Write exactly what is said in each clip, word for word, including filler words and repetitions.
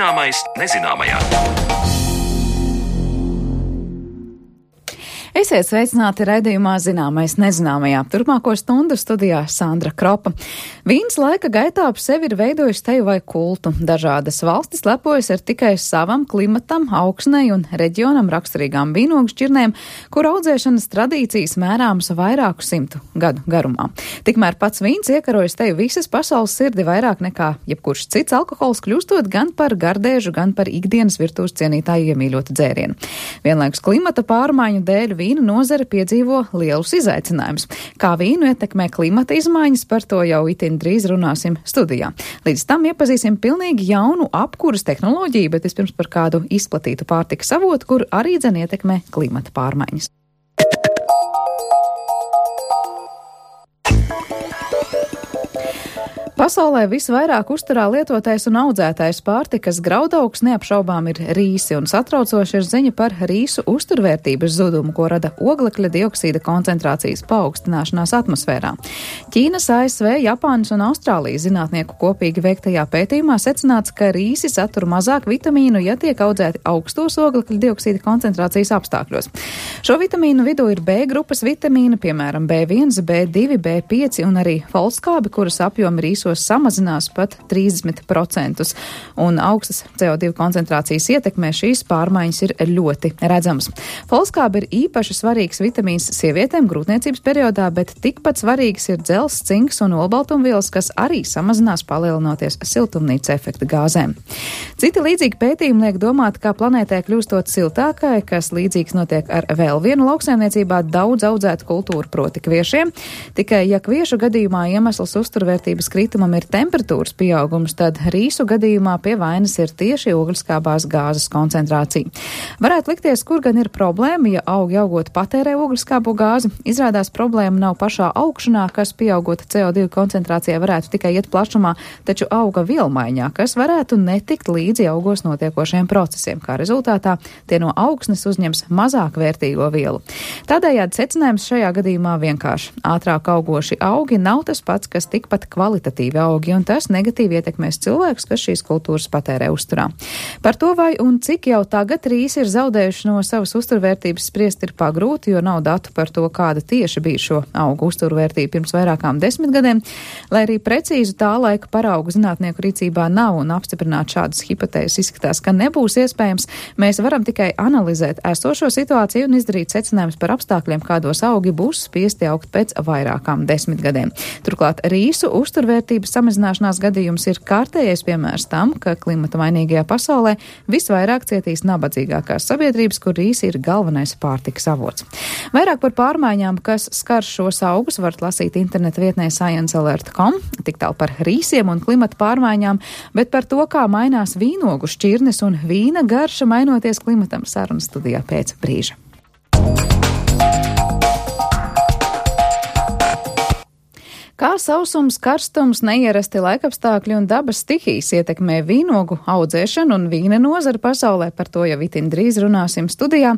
Zināmais nezināmajā. Esiet sveicināti raidījumā Zināmais nezināmajā. Turpmāko stundu studijā Sandra Kropa. Vīns laika gaitā ap sevi ir veidojis teju vai kultu. Dažādas valstis lepojas ar tikai savam klimatam, augsnei un reģionam raksturīgām vīnogu šķirnēm, kur audzēšanas tradīcijas mērāmas vairāku simtu gadu garumā. Tikmēr pats vīns iekarojas teju visas pasaules sirdi vairāk nekā jebkurš cits alkohols, kļūstot gan par gardēžu, gan par ikdienas virtuves cienītāju iemīļotu dzērienu. Vienlaikus klimata pārmaiņu dēļ vīna nozare piedzīvo lielus izaicinājumus. Kā vīnu ietekmē klimata izmaiņas, par to jau itin drīz runāsim studijā. Līdz tam iepazīsim pilnīgi jaunu apkuras tehnoloģiju, bet vispirms par kādu izplatītu pārtikas avotu, kur arī dzen ietekmē klimata pārmaiņas. Pasaulē visvairāk uzturā lietotais un audzētais pārtikas graudaugs neapšaubām ir rīsi, un satraucoši ir ziņa par rīsu uzturvērtības zudumu, ko rada oglekļa dioksīda koncentrācijas paaugstināšanās atmosfērā. Ķīnas, A S V, Japānas un Austrālijas zinātnieku kopīgi veiktajā pētījumā secināts, ka rīsi satur mazāk vitamīnu, ja tiek audzēti augstos oglekļa dioksīda koncentrācijas apstākļos. Šo vitamīnu vidū ir B grupas vitamīna, piemēram, B viens, B divi, B pieci un arī folskābi, kuras apjomi rīsos samazinās pat trīsdesmit procentus, un augstas C O divi koncentrācijas ietekmē šīs pārmaiņas ir ļoti redzamas. Folskābi ir īpaši svarīgs vitamīns sievietēm grūtniecības periodā, bet tikpat svarīgs ir dzelzs, cinks un olbaltumvielas, kas arī samazinās palielinoties siltumnīca efekta gāzēm. Citi līdzīgi pētījumi liek domāt, kā planētē kļūstot siltākai, kas līdzīgs notiek ar vēl vienu lauksaimniecībā daudz audzētu kultūru, proti kviešiem. Tikai, ja kviešu gadījumā iemesls uzturvērtības krituma ir temperatūras pieaugums, tad rīsu gadījumā pie vainas ir tieši ogliskābās gāzes koncentrācija. Varētu likties, kur gan ir problēma, ja augi augot patērē ogliskābo gāzi. Izrādās problēma nav pašā augšanā, kas pieaugot C O divi koncentrācijā varētu tikai iet plašumā, taču auga vielmaiņā, kas varētu netikt līdzi augos notiekošiem procesiem. Kā rezultātā tie no augsnes uzņems mazāk vērtīgo vielu. Tādējādi secinājums šajā gadījumā vienkārši. Ātrāk augoši augi nav tas pats, kas tikpat kvalitatīvi augi, un tas negatīvi ietekmēs cilvēkus, kas šīs kultūras patērē uzturā. Par to, vai un cik jau tagad rīsi ir zaudējuši no savas uzturvērtības, spriest ir pagrūti, jo nav datu par to, kāda tieši bija šo augu uzturvērtība pirms vairākām desmit gadiem. Lai arī precīzu tā laika paraugu zinātnieku rīcībā nav un apstiprināt šādas hipotēzes izskatās, ka nebūs iespējams, mēs varam tikai analizēt esošo situāciju un izdarīt secinājumus par apstākļiem, kādos augi būs spiesti augt pēc vairākām desmit gadiem. Turklāt rīsu uzturvērtības samazināšanās gadījums ir kārtējais piemērs tam, ka klimata mainīgajā pasaulē visvairāk cietīs nabadzīgākās sabiedrības, kur rīsi ir galvenais pārtikas avots. Vairāk par pārmaiņām, kas skar šos augus, varat lasīt interneta vietnē science alert dot com, tik tālu par rīsiem un klimata pārmaiņām, bet par to, kā mainās vīnogu šķirnes un vīna garša mainoties klimatam, sarunas studijā pēc brīža. Kā sausums, karstums, neierasti laikapstākļi un dabas stihijas ietekmē vīnogu audzēšanu un vīna nozari pasaulē, par to jau itin drīz runāsim studijā,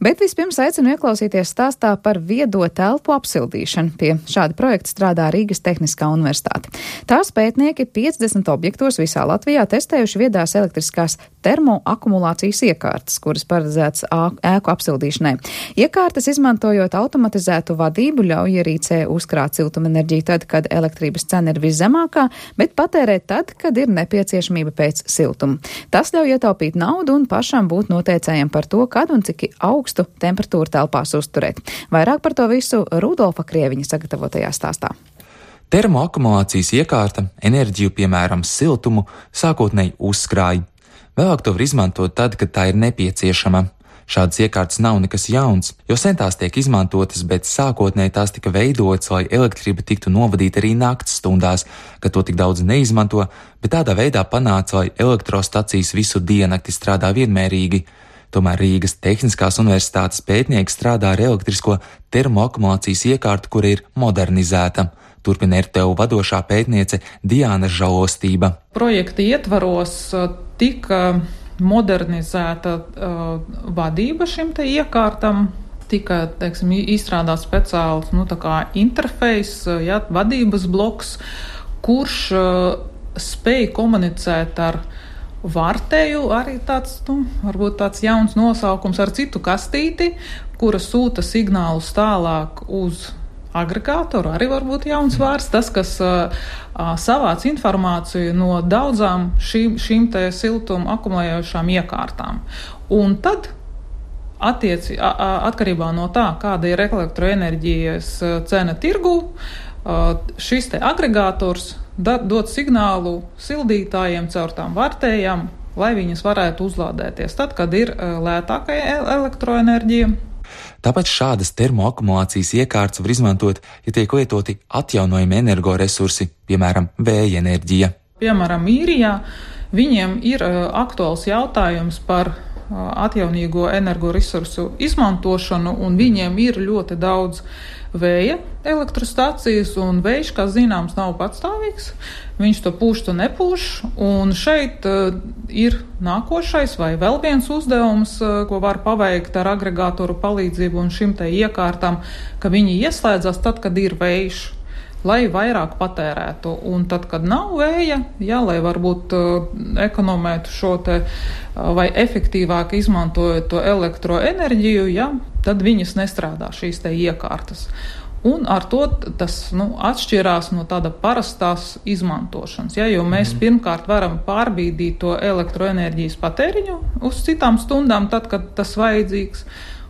bet vispirms aicinu ieklausīties stāstā par viedo telpu apsildīšanu. Pie šāda projekta strādā Rīgas Tehniskā universitāte. Tās pētnieki piecdesmit objektos visā Latvijā testējuši viedās elektriskās termoakumulācijas iekārtas, kuras paredzētas ēku apsildīšanai. Iekārtas, izmantojot automatizētu vadību, ļauj ierīcē uzkrāt siltumenerģiju tad, kad elektrības cena ir viszemākā, bet patērēt tad, kad ir nepieciešamība pēc siltuma. Tas ļauj ietaupīt naudu un pašam būt noteicējiem par to, kad un cik augstu temperatūru telpās uzturēt. Vairāk par to visu Rudolfa Krieviņa sagatavotajā stāstā. Termoakumulācijas iekārta enerģiju, piemēram, siltumu, sākotnēji uzkrāja. Vēlāk to var izmantot tad, kad tā ir nepieciešama. Šādas iekārtas nav nekas jauns, jo sen tās tiek izmantotas, bet sākotnēji tās tika veidotas, lai elektrība tiktu novadīta arī nakts stundās, kad to tik daudz neizmanto, bet tādā veidā panāca, lai elektrostacijas visu diennakti strādā vienmērīgi. Tomēr Rīgas Tehniskās universitātes pētnieki strādā ar elektrisko termoakumulācijas iekārtu, kura ir modernizēta. Turpina R T U vadošā pētniece Diāna Žalostība. Projekta ietvaros tika modernizēta uh, vadība šim te iekārtam, tika, teiksim, izstrādāts speciāls, nu, tā kā interfejs, ja, vadības bloks, kurš uh, spēj komunicēt ar Varteju arī tāds, nu, varbūt tāds jauns nosaukums ar citu kastīti, kura sūta signālus tālāk uz agregātoru, arī varbūt jauns vārds, tas, kas uh, savāc informāciju no daudzām šīm, šīm te siltumu akumulējošām iekārtām. Un tad, attieci, a, a, atkarībā no tā, kāda ir elektroenerģijas cena tirgū, uh, šis te agregātors da, dod signālu sildītājiem caur tām vartējām, lai viņas varētu uzlādēties tad, kad ir uh, lētākai elektroenerģija. Tāpēc šādas termoakumulācijas iekārtas var izmantot, ja tiek lietoti atjaunojami energoresursi, piemēram, vēja enerģija. Piemēram, Īrijā viņiem ir uh, aktuāls jautājums par uh, atjaunīgo energoresursu izmantošanu, un viņiem ir ļoti daudz vēja elektrostacijas, un vējš, kā zināms, nav patstāvīgs. Viņš to pūš, to nepūš, un šeit uh, ir nākošais vai vēl viens uzdevums, uh, ko var paveikt ar agregātoru palīdzību un šim te iekārtam, ka viņi ieslēdzas tad, kad ir vējš, lai vairāk patērētu, un tad, kad nav vēja, jā, lai varbūt uh, ekonomētu šo te uh, vai efektīvāk izmantojot to elektroenerģiju, jā, tad viņas nestrādā šīs te iekārtas. Un ar to tas nu, atšķirās no tāda parastās izmantošanas, ja, jo mēs mm. pirmkārt varam pārbīdīt to elektroenerģijas patēriņu uz citām stundām, tad, kad tas vajadzīgs.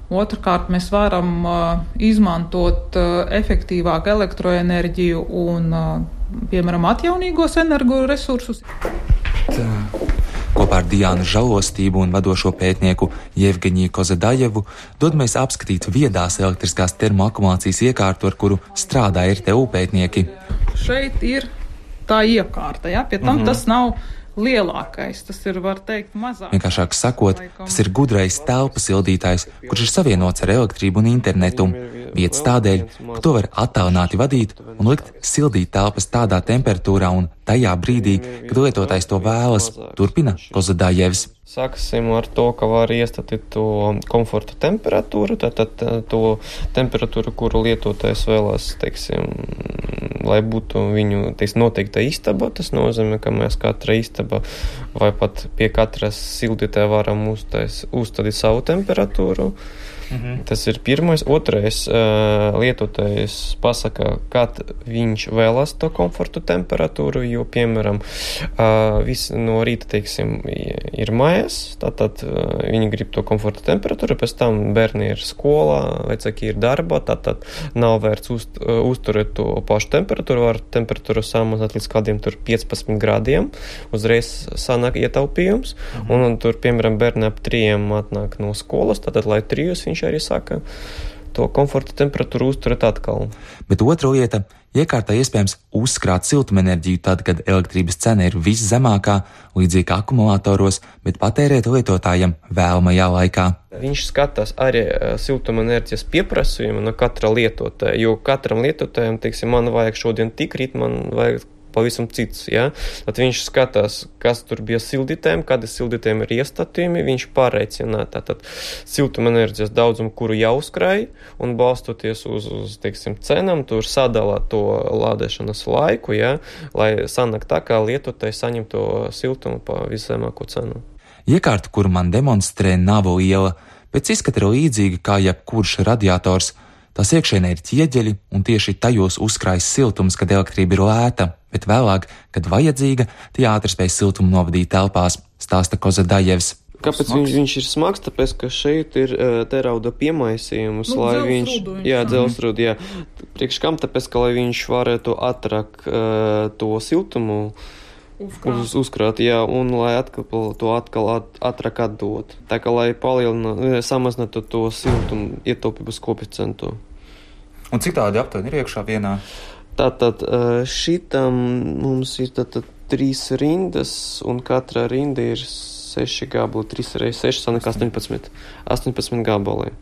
Otrkārt, mēs varam uh, izmantot uh, efektīvāk elektroenerģiju un, uh, piemēram, atjaunīgos energoresursus. Tā. Kopā ar Diānu Žalostību un vadošo pētnieku Jevgeņiju Kozadajevu dodamies apskatīt viedās elektriskās termoakumulācijas iekārtu, ar kuru strādā R T U pētnieki. Šeit ir tā iekārta, ja? Pie tam mm-hmm. tas nav lielākais, tas ir, var teikt, mazāk. Vienkāršāk sakot, tas ir gudrais telpu sildītājs, kurš ir savienots ar elektrību un internetu. Vietas tādēļ, ka to var attālināti vadīt un likt sildīt telpas tādā temperatūrā un tajā brīdī, kad lietotājs to vēlas, turpina Kozadājevs. Sāksim ar to, ka var iestatīt to komforta temperatūru, tātad to temperatūru, kuru lietotājs vēlas, teiksim, lai būtu viņu, teiksim, noteikta istaba. Tas nozīmē, ka mēs katra istaba vai pat pie katras sildītāja varam uzstādīt savu temperatūru. Mhm. Tas ir pirmais. Otrais, lietotājs pasaka, kad viņš vēlas to komfortu temperatūru, jo, piemēram, viss no rīta, teiksim, ir mājās, tātad viņi grib to komforta temperatūru, pēc tam bērni ir skolā, vecāki ir darbā, tātad nav vērts uz, uzturēt to pašu temperatūru, var temperatūru samazināt līdz kādiem tur piecpadsmit grādiem, uzreiz sanāk ietaupījums, mhm. un, un tur, piemēram, bērni ap trījiem atnāk no skolas, tātad, lai trijus viņš arī saka, to komforta temperatūru uzturēt atkal. Bet otra lieta, iekārtā iespējams uzkrāt siltumenerģiju tad, kad elektrības cena ir viszemākā, līdzīgi kā akumulātoros, bet patērēt lietotājiem vēlamajā laikā. Viņš skatās arī siltumenerģijas pieprasījumu no katra lietotāja, jo katram lietotājam, teiksim, man vajag šodien tik rīt, man vajag pavisam cits, ja? Tad viņš skatās, kas tur bija sildītēm, kādi sildītēm ir iestatījumi, viņš pārreicina tātad siltumenerģijas daudzumu, kuru jau uzkrāja, un balstoties uz, uz teiksim, cenām, tur sadala to lādēšanas laiku, ja? Lai sanāk tā, kā lietotājs saņem to siltumu pa viszemāko cenu. Iekārta, kuru man demonstrē, nav liela, pēc izskata ir līdzīga kā jebkurš radiators. Tās iekšēnē ir ķieģeļi, un tieši tajos uzkrājas siltums, kad elektrība ir lēta, bet vēlāk, kad vajadzīga, tie ātri spēj siltumu novadīt telpās, stāsta Kozadājevs. Kāpēc viņš, viņš ir smags? Tāpēc, ka šeit ir uh, terauda piemaisījums, nu, lai viņš, jā, dzelsrūdi, jā. Priekš kam? Tāpēc, ka lai viņš varētu ātrāk uh, to siltumu uzkrāt, uz, uzkrāt jā, un lai atkal to atkal at, ātrāk atdot. Tā kā lai palielina, samazinātu to siltumu ietaupības koeficientu. Un cik tādi aptuveni ir iekšā vienā? Tātad šitam mums ir tātad trīs rindas, un katra rinda ir seši gabali, trīs reizes seši, sanāk astoņpadsmit, astoņpadsmit gabali.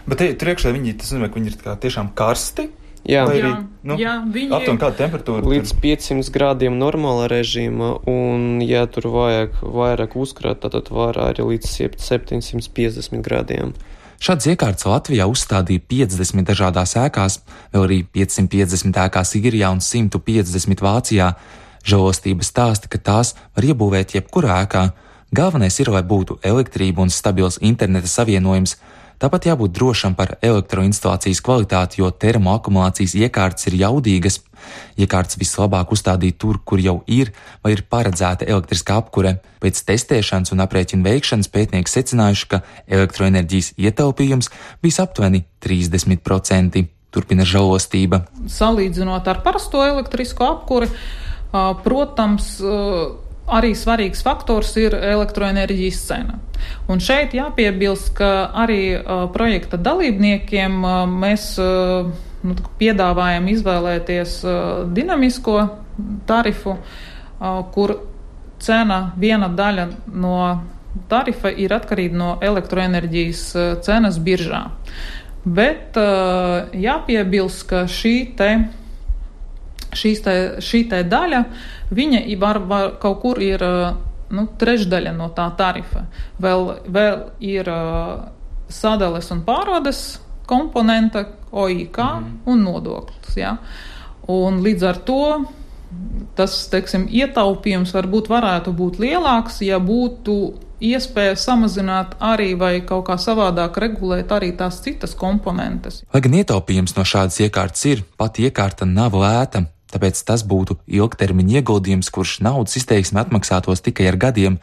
Bet te, tur iekšā viņi, tas nozīmē, ka viņi ir kā tiešām karsti? Jā, arī, jā, nu, jā viņi aptuveni kāda temperatūra? Līdz piecsimt grādiem normāla režīma, un ja tur vajag vairāk uzkrāt, tad var arī līdz septiņsimt piecdesmit grādiem. Šādas iekārtas Latvijā uzstādīja piecdesmit dažādās ēkās, vēl arī piecsimt piecdesmit ēkās Īrijā un simt piecdesmit Vācijā. Žalostība stāsta, ka tās var iebūvēt jebkurā ēkā, Galvenais ir, lai būtu elektrība un stabils interneta savienojums. Tāpat jābūt drošam par elektroinstalācijas kvalitāti, jo termoakumulācijas iekārtas ir jaudīgas. Iekārtas vislabāk uzstādīt tur, kur jau ir vai ir paredzēta elektriskā apkure. Pēc testēšanas un aprēķina veikšanas pētnieki secinājuši, ka elektroenerģijas ietaupījums bija aptuveni trīsdesmit procenti. Turpina Žalostība. Salīdzinot ar parasto elektrisko apkuri, protams, arī svarīgs faktors ir elektroenerģijas cena. Un šeit jāpiebilst, ka arī uh, projekta dalībniekiem uh, mēs uh, nu, piedāvājam izvēlēties uh, dinamisko tarifu, uh, kur cena, viena daļa no tarifa ir atkarīga no elektroenerģijas uh, cenas biržā. Bet uh, jāpiebilst, ka šī te Šīs te, šī te daļa, viņa var, var, kaut kur ir nu, trešdaļa no tā tarifa. Vēl, vēl ir uh, sadales un pārvades komponenta, O I K mm. un nodoklis. Ja? Un līdz ar to tas, teiksim, ietaupījums varbūt varētu būt lielāks, ja būtu iespēja samazināt arī vai kaut kā savādāk regulēt arī tās citas komponentes. Lai gan ietaupījums no šādas iekārtas ir, pati iekārta nav lēta. Tāpēc tas būtu ilgtermiņa ieguldījums, kurš naudas izteiksme atmaksātos tikai ar gadiem.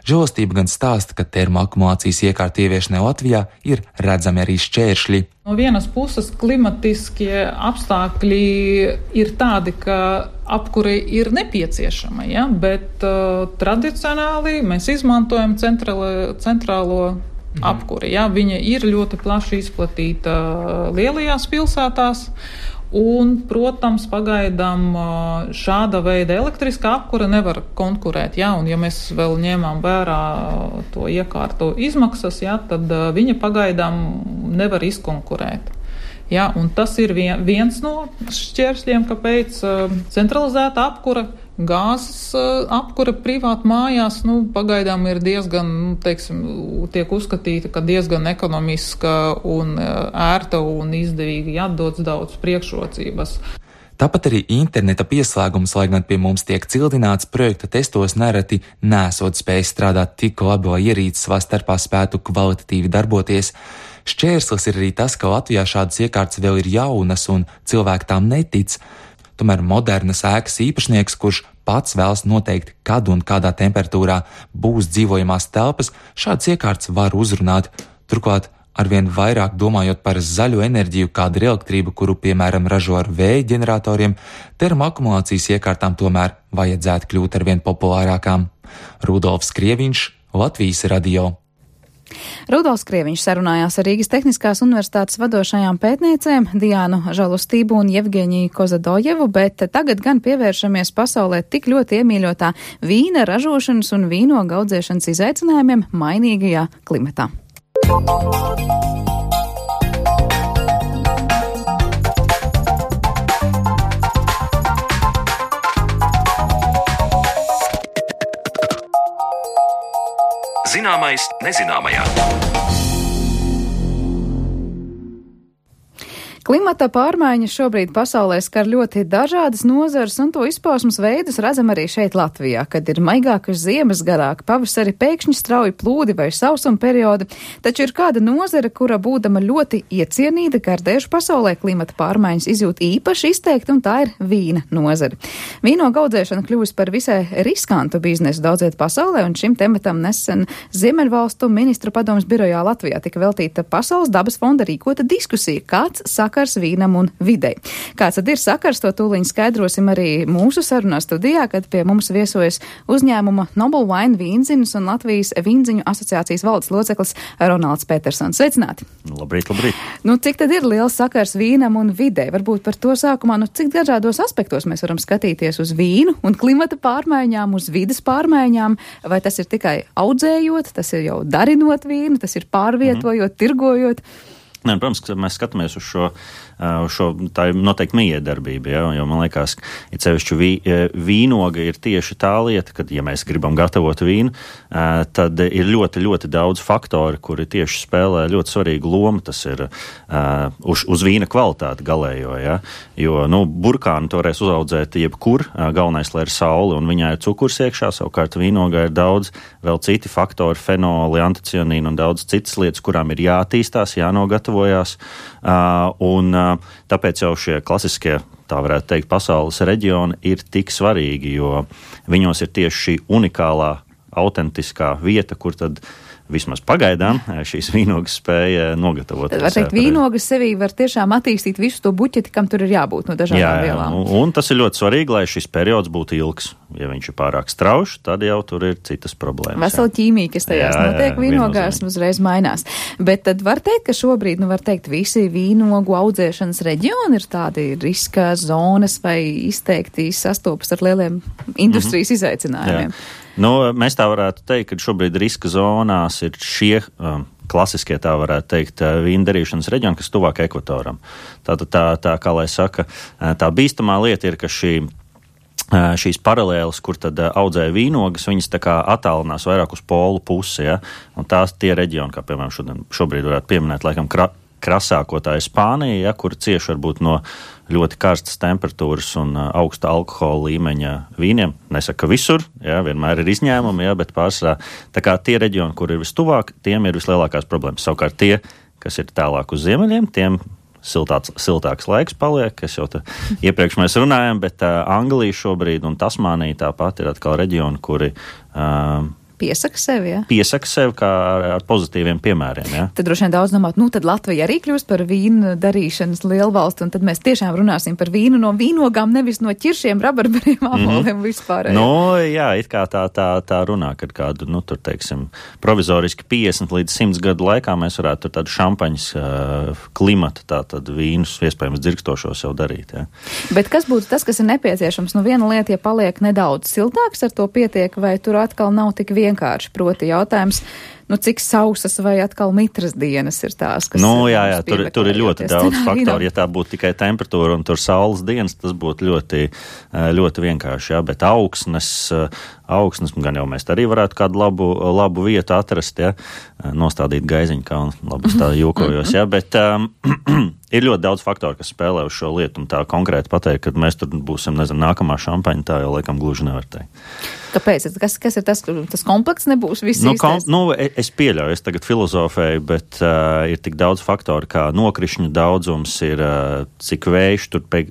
Žalostība gan stāsta, ka termoakumulācijas iekārtu ieviešanai Latvijā ir redzami arī šķēršļi. No vienas puses klimatiskie apstākļi ir tādi, ka apkure ir nepieciešama, ja? Bet uh, tradicionāli mēs izmantojam centrālo, centrālo mhm. apkuri. Ja? Viņa ir ļoti plaši izplatīta lielajās pilsētās. Un, protams, pagaidām šāda veida elektriskā apkura nevar konkurēt, ja, un ja mēs vēl ņēmām vērā to iekārtu izmaksas, ja, tad viņa pagaidām nevar izkonkurēt. Ja, un tas ir vien, viens no šķēršļiem, kāpēc centralizēta apkura, gāzes apkura privāti mājās, nu, pagaidām ir diezgan, nu, teiksim, tiek uzskatīta, ka diezgan ekonomiska un ērta un izdevīga, jādots daudz priekšrocības. Tāpat arī interneta pieslēgums, lai gan pie mums tiek cildināts, projekta testos nereti nesot spējis strādāt tik labi, lai ierīces savā starpā spētu kvalitatīvi darboties. Šķērslis ir arī tas, ka Latvijā šādas iekārtas vēl ir jaunas un cilvēki tām netic. Tomēr modernas ēkas īpašnieks, kurš pats vēlas noteikt, kad un kādā temperatūrā būs dzīvojamās telpas, šādas iekārtas var uzrunāt. Turklāt, arvien vairāk domājot par zaļo enerģiju, kāda ir elektrība, kuru, piemēram, ražo ar vēja ģeneratoriem, termoakumulācijas iekārtām tomēr vajadzētu kļūt arvien populārākām. Rudolfs Krieviņš, Latvijas radio. Rudolfs Krieviņš sarunājās ar Rīgas Tehniskās universitātes vadošajām pētniecēm Diānu Žalostību un Jevgeņiju Kozadojevu, bet tagad gan pievēršamies pasaulē tik ļoti iemīļotā vīna ražošanas un vīnogu audzēšanas izaicinājumiem mainīgajā klimatā. Zināmais nezināmajā. Klimata pārmaiņas šobrīd pasaulē skar ļoti dažādas nozares, un to izpausmes veidus redzam arī šeit Latvijā, kad ir maigākas ziemas, garāki pavasari, pēkšņi strauji plūdi vai sausuma periodi. Taču ir kāda nozare, kura būdama ļoti iecienīta gardēšu pasaulē klimata pārmaiņas izjūt īpaši izteikti, un tā ir vīna nozare. Vīnogu audzēšana kļūst par visai riskantu biznesu daudziet pasaulē, un šim tematam nesen Ziemeļvalstu ministru padomes birojā Latvijā tika veltīta Pasaules dabas fonda rīkota diskusija, kāds saka vīnam un videi. Kāds tad ir sakars, to tūliņ skaidrosim arī mūsu sarunā studijā, kad pie mums viesojas uzņēmuma Noble Wine vīnziņas un Latvijas vīnziņu asociācijas valdes loceklis Ronalds Petersons. Sveicināti! Labrīt, labrīt! Nu, cik tad ir liels sakars vīnam un videi? Varbūt par to sākumā, nu, cik dažādos aspektos mēs varam skatīties uz vīnu un klimata pārmaiņām, uz vides pārmaiņām, vai tas ir tikai audzējot, tas ir jau darinot vīnu, tas ir pārvietojot, mm. tirgojot? Nē, protams, ka mēs skatāmies uz šo, uz šo tā ir noteikti mijiedarbība, ja, jo man liekas, ja sevišķi vī, vīnoga ir tieši tā lieta, kad, ja mēs gribam gatavot vīnu, tad ir ļoti, ļoti daudz faktori, kuri tieši spēlē ļoti svarīgu lomu, tas ir uh, uz, uz vīna kvalitāti galējo, ja, jo, nu, burkānu toreiz uzaudzēt jebkur, galvenais, lai ir saule un viņā ir cukurs iekšā, savukārt vīnogā ir daudz vēl citi faktori, fenoli, anticianīni un daudz citas lietas, kurām ir jātīstās, jānogatavojās, uh, un uh, tāpēc jau šie klasiskie, tā varētu teikt, pasaules reģioni ir tik svarīgi, jo viņos ir tieši šī unikālā, autentiskā vieta, kur tad vismaz pagaidām šīs vīnogas spēja nogatavot. Tad var teikt, vīnogas sevī var tiešām attīstīt visu to buķeti, kam tur ir jābūt no dažādām jā, jā, vielām. Un, un tas ir ļoti svarīgi, lai šis periods būtu ilgs. Ja viņš ir pārāk straušs, tad jau tur ir citas problēmas. Vesela ķīmija, kas tajās jā, notiek jā, vīnogās, uzreiz mainās. Bet tad var teikt, ka šobrīd, nu var teikt, visi vīnogu audzēšanas reģioni ir tādi riska zonas vai izteikti sastopas ar lieliem industrijas mm-hmm. izaicinājumiem. Jā. Nu, mēs tā varētu teikt, ka šobrīd riska zonās ir šie um, klasiskie, tā varētu teikt, vīna darīšanas reģioni, kas tuvāk ekvatoram. Tātad tā, tā, kā lai saka, tā bīstamā lieta ir, ka šī, šīs paralēles, kur tad audzēja vīnogas, viņas tā kā attālinās vairāk uz polu pusi, ja? Un tās tie reģioni, kā piemēram šodien, šobrīd varētu pieminēt, laikam, kra, krasāko tā ir Spānija, ja, kur cieši varbūt no ļoti karstas temperatūras un uh, augsta alkohola līmeņa vīniem. Nesaka, ka visur, ja, vienmēr ir izņēmumi, ja, bet pārsvarā tā kā tie reģioni, kur ir vistuvāk, tiem ir vislielākās problēmas. Savukārt tie, kas ir tālāk uz ziemeļiem, tiem siltāks, siltāks laiks paliek, kas jau te iepriekš mēs runājam, bet uh, Anglija šobrīd un Tasmānija tāpat ir atkal reģioni, kuri uh, Piesaka sevi, ja? Piesaka sevi kā ar, ar pozitīviem piemēriem, ja? Tad droši vien daudz domāt, nu tad Latvija arī kļūst par vīnu darīšanas lielvalstu, un tad mēs tiešām runāsim par vīnu no vīnogām, nevis no ķiršiem, rabarbariem, āboliem, mm. vispār. Nu, jā, it kā tā, tā, tā runā, kad kādu, nu, tur, teiksim, provizoriski piecdesmit līdz simt gadu laikā mēs varētu tur tādu šampaņas uh, klimatu, tā tad vīnus, iespējams, dzirkstošos jau darīt, ja? Bet kas būtu tas, kas ir nepieciešams? Nu, viena lieta, ja paliek nedaudz siltāks, ar to pietiek, vai tur atkal nav tik vienkārši? Vienkārši, proti jautājums, nu, cik sausas vai atkal mitras dienas ir tās, kas... Nu, jā, jā, tur, tur ir ļoti daudz faktoru. Ja tā būtu tikai temperatūra un tur saules dienas, tas būtu ļoti, ļoti vienkārši, jā, bet augsnes, augsnes, gan jau mēs arī varētu kādu labu, labu vietu atrast, ja, nostādīt gaiziņu, kā un labus tā jūkojos, ja, bet um, ir ļoti daudz faktoru, kas spēlē uz šo lietu, un tā konkrēti pateikt, kad mēs tur būsim, nezinu, nākamā šampaņa, tā jau laikam gluži nevar teikt. Kāpēc? Kas, kas ir tas, tas komplekts nebūs viss nu, īstais? Kom, nu, es pieļauju, es tagad filozofēju, bet uh, ir tik daudz faktoru, kā nokrišņu daudzums ir, uh, cik vējš tur pie,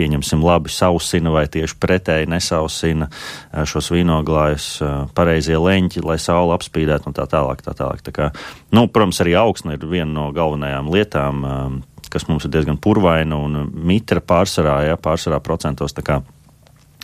pieņemsim labi sausina vai tieši pretēji nesausina uh, šos vīnoglājus, uh, pareizie leņķi, lai saule apspīdētu un tā tālāk, tā tālāk. Tā kā, nu, protams, arī augsne ir viena no galvenajām lietām, um, kas mums ir diezgan purvaina un mitra pārsvarā, ja, pārsvarā procentos, tā kā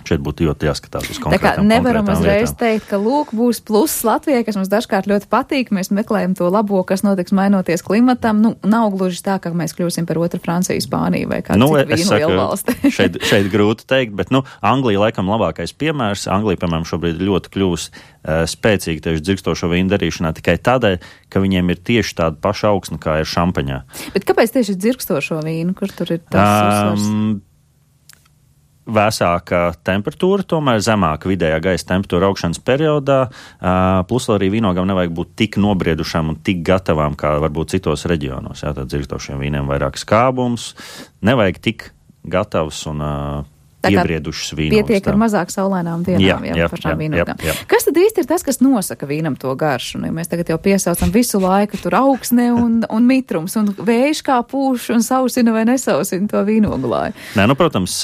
šeit būtu ļoti jāskatās uz konkrētām lietām. Tā kā nevaram uzreiz teikt, ka lūk būs pluss Latvijai, kas mums dažkārt ļoti patīk, mēs meklējam to labo, kas notiks mainoties klimatam. Nu, nav gluži tā, ka mēs kļūsim par otru Franciju, Spāniju vai kādu nu, citu vīnu lielvalsti. šeit, šeit grūti teikt, bet, nu, Anglija laikam labākais piemērs. Anglija, piemēram, šobrīd ļoti kļūs uh, spēcīgi tieši dzirkstošo vīnu darīšanā tikai tādēļ, ka viņiem ir tieši tāda paša augsne, kā ir šampaņā. Bet kāpēc tieši dzirkstošo vīnu? Kur tur ir tas uzsvars? Um, Vēsāka temperatūra, tomēr zemāka vidējā gaisa temperatūra augšanas periodā, plus arī vīnogam nevajag būt tik nobriedušām un tik gatavām, kā varbūt citos reģionos. Jā, tad dzirkstošiem vīniem vairāk skābums, nevajag tik gatavs un iebriedušas vīnogas. Pietiek ar mazāk saulainām dienām, jā, jā, jā, pašām jā, vīnogām. Jā, jā. Kas tad īsti ir tas, kas nosaka vīnam to garšu? Nu, ja mēs tagad jau piesaucam visu laiku tur augsne un, un mitrums, un vējš kā pūš un sausina vai nesausina to vīnoglāju. Nē, nu, protams,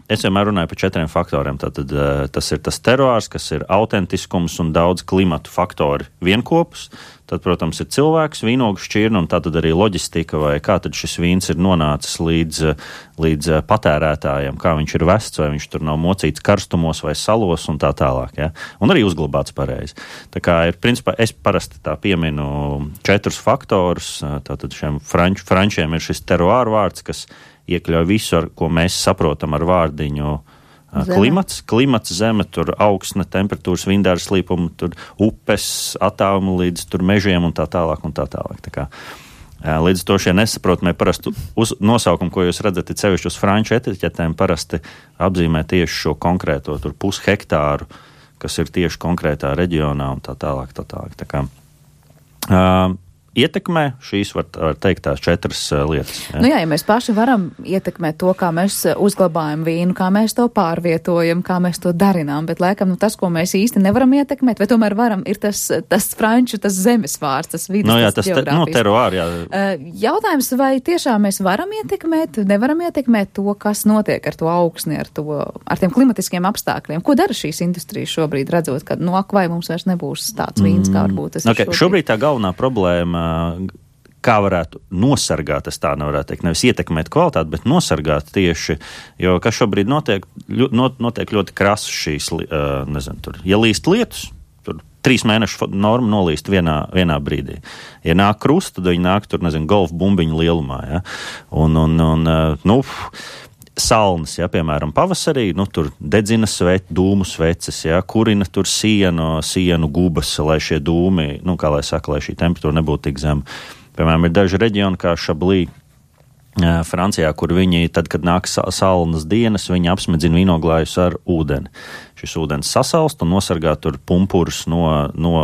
es vienmēr runāju par četriem faktoriem. Tātad tas ir tas teroārs, kas ir autentiskums un daudz klimatu faktori vienkopus. Tad, protams, ir cilvēks, vīnogu šķirne un tātad arī loģistika, vai kā tad šis vīns ir nonācis līdz, līdz patērētājiem, kā viņš ir vests, vai viņš tur nav mocīts karstumos vai salos un tā tālāk. Ja? Un arī uzglabāts pareizi. Tā kā ir, principā, es parasti tā pieminu četrus faktorus. Tātad šiem franč, frančiem ir šis teroāru vārds, kas iekļauj visu, ar ko mēs saprotam ar vārdiņu zeme. Klimats, klimats, zeme, tur augsne, temperatūras, vindāra slīpumi, tur upes, attālumi līdz tur mežiem un tā tālāk un tā tālāk. Tā kā, Līdz to šie nesaprotamie parasti uz nosaukumu, ko jūs redzat, ir sevišķi uz franču etiķetēm, parasti apzīmē tieši šo konkrēto tur pushektāru, kas ir tieši konkrētā reģionā un tā tālāk, tā tālāk. Tā kā, uh, ietekmē šīs, var, var teikt, tās četras uh, lietas. Ja? Nu jā, ja mēs paši varam ietekmēt to, kā mēs uzglabājam vīnu, kā mēs to pārvietojam, kā mēs to darinām, bet laikam nu, tas, ko mēs īsti nevaram ietekmēt, vai tomēr varam, ir tas, tas franču, tas zemes vārds, tas vidas, no, jā, tas, tas geogrāfijas. Te, no, teruāri, jā. Uh, jautājums, vai tiešām mēs varam ietekmēt, nevaram ietekmēt to, kas notiek ar to augsni, ar, to, ar tiem klimatiskiem apstākļiem? Ko dara šīs industrijas šobrīd, redzot, ka no ak, vai mums vairs nebūs tāds vīns, kā varbūt tas okay, ir šobrīd? Šobrīd tā galvenā problēma, kā varētu nosargāt, es tā nevarētu teikt, nevis ietekmēt kvalitāti, bet nosargāt tieši, jo kas šobrīd notiek, notiek ļoti krasu šīs, nezinu, tur, ja līst lietus, tur trīs mēnešu norma nolīst vienā, vienā brīdī. Ja nāk krusta, tad viņi nāk tur, nezinu, golf bumbiņu lielumā, ja, un, un, un nu, salnas, ja, piemēram, pavasarī, nu, tur dedzina sveci, dūmu sveces, ja, kurina tur sienu, sienu gubas, lai šie dūmi, nu, kā lai saka, lai šī temperatūra nebūtu tik zema. Piemēram, ir daži reģioni kā Šablī, Francijā, kur viņi, tad, kad nāk salnas dienas, viņi apsmedzina vīnoglājus ar ūdeni. Šis ūdens sasalst un nosargā tur pumpurus no, no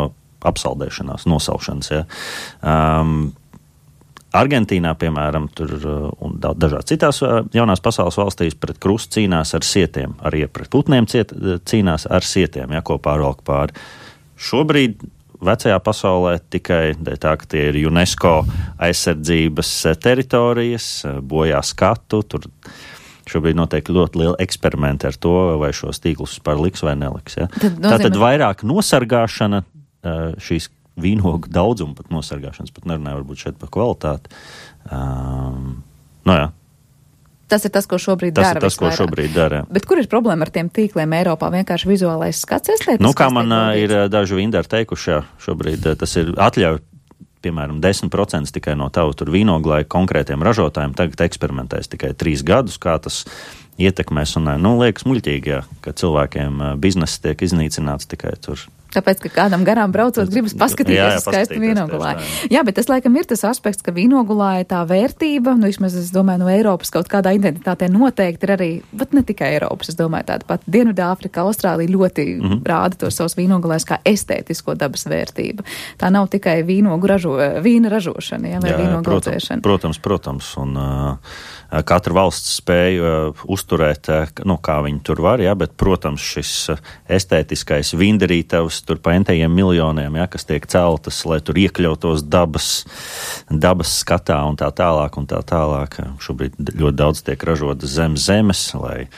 apsaldēšanās, nosaušanas, ja. Um, Argentīnā, piemēram, tur un dažās citās jaunās pasaules valstīs pret krustu cīnās ar sietiem, arī pret putniem ciet, cīnās ar sietiem, ja, ko pārvalk pāri. Šobrīd vecajā pasaulē tikai tā, ka tie ir UNESCO aizsardzības teritorijas, bojā skatu, tur šobrīd notiek ļoti liela eksperimenti ar to, vai šos tīklus par liks vai neliks. Ja. Tad nozīmē... Tātad vairāk nosargāšana šīs vīnogu daudzumu pat nosargāšanas, pat nerunāju varbūt šeit par kvalitāti. Um, no jā. Tas ir tas, ko šobrīd tas dara. Tas ir tas, ko šobrīd dara. Bet kur ir problēma ar tiem tīkliem Eiropā? Vienkārši vizuālais skats estetisks? Nu, kā man ir daži vindari teikuši, jā, šobrīd tas ir atļauj, piemēram, desmit procenti tikai no tavu tur vīnoglāju konkrētiem ražotājiem tagad eksperimentēs tikai trīs gadus, kā tas ietekmēs. Un, nu, liekas muļķīgi, jā, ka cilvēkiem biznesa tiek iznīcināts tikai tur. Tāpēc, ka kādam garām braucot, gribas paskatīties uz skaistu vīnogulāju. Jā, bet tas, laikam, ir tas aspekts, ka vīnogulāja tā vērtība, nu, vismaz, es domāju, no Eiropas kaut kādā identitātē noteikti ir arī, bet ne tikai Eiropas, es domāju, tāda pat Dienvidāfrika, Austrālija ļoti mm-hmm. rāda tos savus vīnogulājus kā estētisko dabas vērtību. Tā nav tikai vīnogu ražo, vīna ražošana, jā, vai jā, vīnogu audzēšana. Protams, protams, un uh, katra valsts spēja uh, uzturēt, uh, nu, kā viņi tur var, jā, bet, protams, šis uh, estētiskais vindarītavs tur pa entajiem miljoniem, ja, kas tiek celtas, lai tur iekļautos dabas, dabas skatā un tā tālāk un tā tālāk. Šobrīd ļoti daudz tiek ražotas zem zemes, lai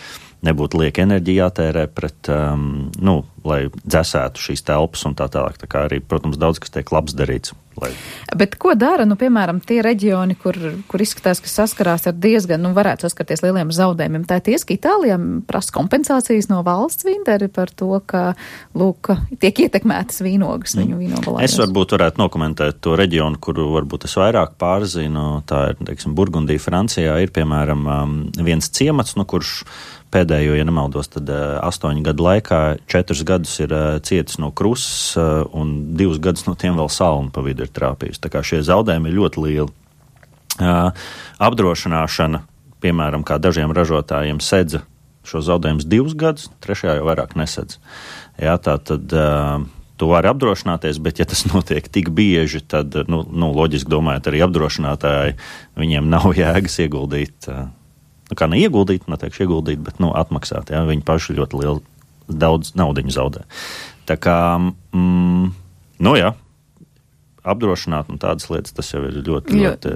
nebūtu lieka enerģija jātērē pret, um, nu, lai dzesētu šīs telpas un tā tālāk. Tā kā arī, protams, daudz, kas tiek labs darīts. Lai... Bet ko dara, nu, piemēram, tie reģioni, kur, kur izskatās, ka saskarās ar diezgan, nu, varētu saskarties lieliem zaudējumiem? Tā ir ties, ka Itālijā prasa kompensācijas no valsts vindari par to, ka, lūk, tiek ietekmētas vīnogas viņu vīnogalājos. Es varbūt varētu nokomentēt to reģionu, kuru varbūt es vairāk pārzinu. Tā ir, teiksim, Burgundija, Francijā ir, piemēram, viens ciemats, no kurš pēdējo, ja nemaldos, tad uh, astoņu gadu laikā četrus gadus ir uh, cietis no krusas uh, un divus gadus no tiem vēl salnu pa vidu ir trāpījusi. Tā kā šie zaudējumi ir ļoti lieli. Uh, apdrošināšana, piemēram, kā dažiem ražotājiem sedza šo zaudējumus divus gadus, trešajā jau vairāk nesedz. Jā, tā tad uh, tu vari apdrošināties, bet ja tas notiek tik bieži, tad, nu, nu loģiski domājot, arī apdrošinātāji, viņiem nav jēgas ieguldīt uh, Nu, kā neieguldīt, neteikšu ieguldīt, bet, nu, atmaksāt, jā, viņi paši ļoti lielu, daudz naudiņu zaudē. Tā kā, mm, nu, jā, apdrošināt un tādas lietas, tas jau ir ļoti, ļoti...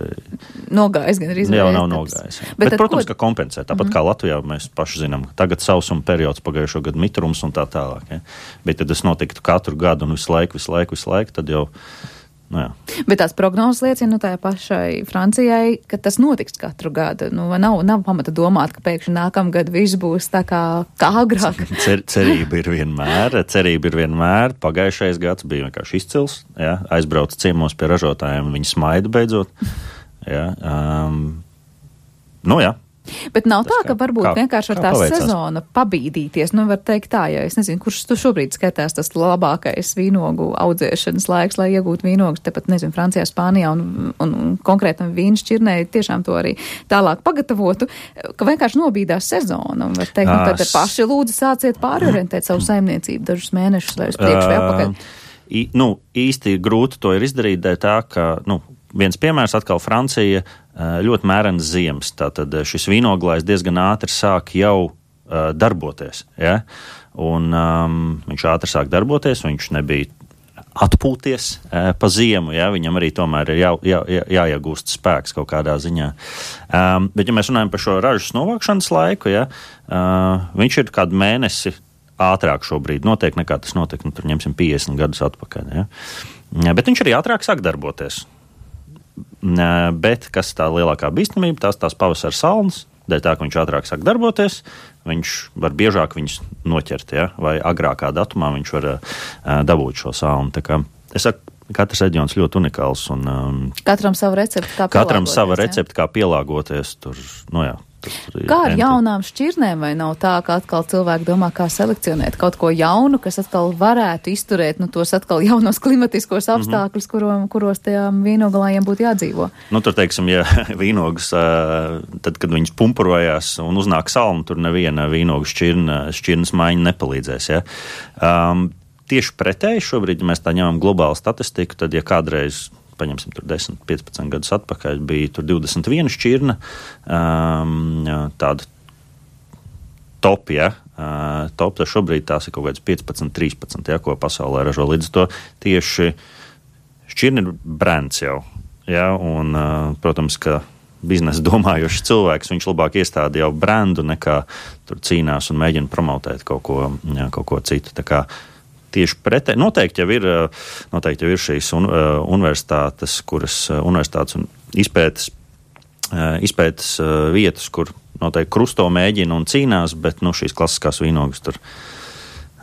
Nogājis gan arī izvērst. Jā, nav nogājis. Jā. Bet, bet protams, ko... ka kompensē. Tāpat mm-hmm. kā Latvijā mēs paši zinām, tagad sausuma periods, pagājušo gadu mitrums un tā tālāk, jā. Bet, ja tas notiktu katru gadu un visu laiku, visu laiku, visu laiku, tad jau... Nu, jā. Bet tās prognozes liecina, nu, tā pašai Francijai, ka tas notiks katru gadu. Nu, nav, nav pamata domāt, ka pēkšņi nākamgad viss būs tā kā, kā agrāk. Cer, cerība ir vienmēr, cerība ir vienmēr. Pagājušais gads bija vienkārši izcils, jā, aizbrauca ciemos pie ražotājiem, viņi smaida beidzot. Jā, um, nu jā. Bet nav Tas tā, kā- ka varbūt kā- vienkārši ar kā tā paveicās? sezona pabīdīties, nu var teikt tā, ja es nezinu, kurš tu šobrīd skatās tas labākais vīnogu audzēšanas laiks, lai iegūtu vīnogus, tepat, nezinu, Francijā, Spānijā un, un, un konkrētam vīnu šķirnei tiešām to arī tālāk pagatavotu, ka vienkārši nobīdās sezona, un var teikt, nu tad Ās. paši lūdzu sāciet pārorientēt savu saimniecību dažus mēnešus vai uz priekšu vai apakaļ. I, nu, īsti grūti to ir izdarīt, dēļ tā, ka, nu, viens piemērs atkal Francija ļoti mērens ziemas, tātad šis vīnoglājs diezgan ātri sāk jau uh, darboties, ja? Un um, viņš ātri sāk darboties, viņš nebija atpūties uh, pa ziemu, ja? Viņam arī tomēr ir jā, jā, jā, jāiegūst spēks kaut kādā ziņā. Um, bet, ja mēs runājam par šo ražas novākšanas laiku, ja? uh, viņš ir kādu mēnesi ātrāk šobrīd notiek, nekā tas notiek, nu, tur ņemsim piecdesmit gadus atpakaļ, ja? Bet viņš arī ātrāk sāk darboties. Bet kas tā lielākā bīstamība, tās tās pavasara salnas, dēļ tā, ka viņš ātrāk sāk darboties, viņš var biežāk viņus noķert, ja? Vai agrākā datumā viņš var uh, dabūt šo salnu. Tā kā es saku, katrs reģions ļoti unikāls. Un, um, Katram sava recepte, kā pielāgoties. Katram sava recepte, kā pielāgoties. Tur, nu jā. Kā ar jaunām šķirnēm, vai nav tā, ka atkal cilvēki domā, kā selekcionēt kaut ko jaunu, kas atkal varētu izturēt, nu, tos atkal jaunos klimatiskos apstākļus, mm-hmm. kuro, kuros tajām vīnogalājiem būtu jādzīvo? Nu, tur, teiksim, ja vīnogas, tad, kad viņas pumpurojās un uznāk salmu, tur neviena vīnogu šķirna, šķirnas maiņa nepalīdzēs, ja. Um, tieši pretēji šobrīd, ja mēs tā ņemam globālu statistiku, tad, ja kādreiz paņemsim tur desmit, piecpadsmit gadus atpakaļ, bija tur divdesmit viena šķirna, um, tāda top, ja, uh, top, tad šobrīd tās ir kaut kāds piecpadsmit, trīspadsmit, ja, ko pasaulē ražo. Līdz to tieši šķirna ir brands jau, ja, un, uh, protams, ka biznesa domājošs cilvēks, viņš labāk iestāda jau brandu, nekā tur cīnās un mēģina promotēt kaut ko, ja, kaut ko citu. Tā kā tieši pretēji. Noteikti jau ir, noteikti jau ir šīs un, uh, universitātes, kuras uh, universitātes un izpētes, uh, izpētes uh, vietas, kur noteikti krusto mēģina un cīnās, bet nu, šīs klasiskās vīnogas tur